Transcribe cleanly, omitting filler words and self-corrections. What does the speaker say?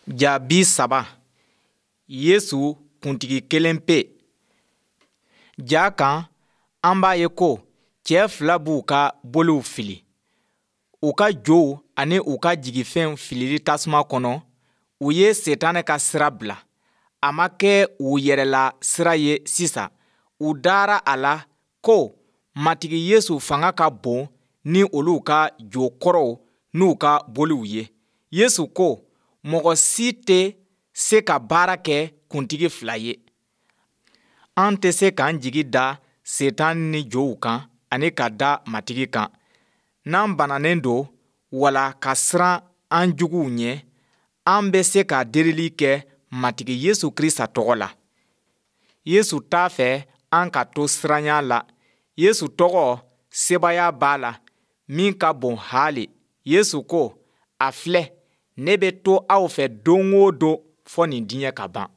Ja 30, Yesu kuntigi kelen pe. Ja kan, an b'a ye ko cɛ fila b'u ka boliw fili. U ka jow ani u ka jigifɛnw filili tasuma kɔnɔ, u ye Setanɛ ka sira bila. A ma kɛ u yɛrɛla sira ye sisan. U dara a la ko Matigi Yesu fanga ka bon ni olu ka jo kɔrɔw n'u ka boliw ye. Yesu ko, mɔgɔ si tɛ se ka baara kɛ kuntigi fila ye. An tɛ se k'an jigi da Setan ni jow kan ani ka da Matigi kan. N'an bananen don wala ka siran an juguw ɲɛ, an bɛ se ka delili kɛ Matigi Yesu Krista tɔgɔ la. Yesu t'a fɛ an ka to siranya la. Yesu tɔgɔ sebaaya b'a la min ka bon haali. Yesu ko, a filɛ, ne bɛ to aw fɛ don o don fɔ nin diɲɛ ka ban.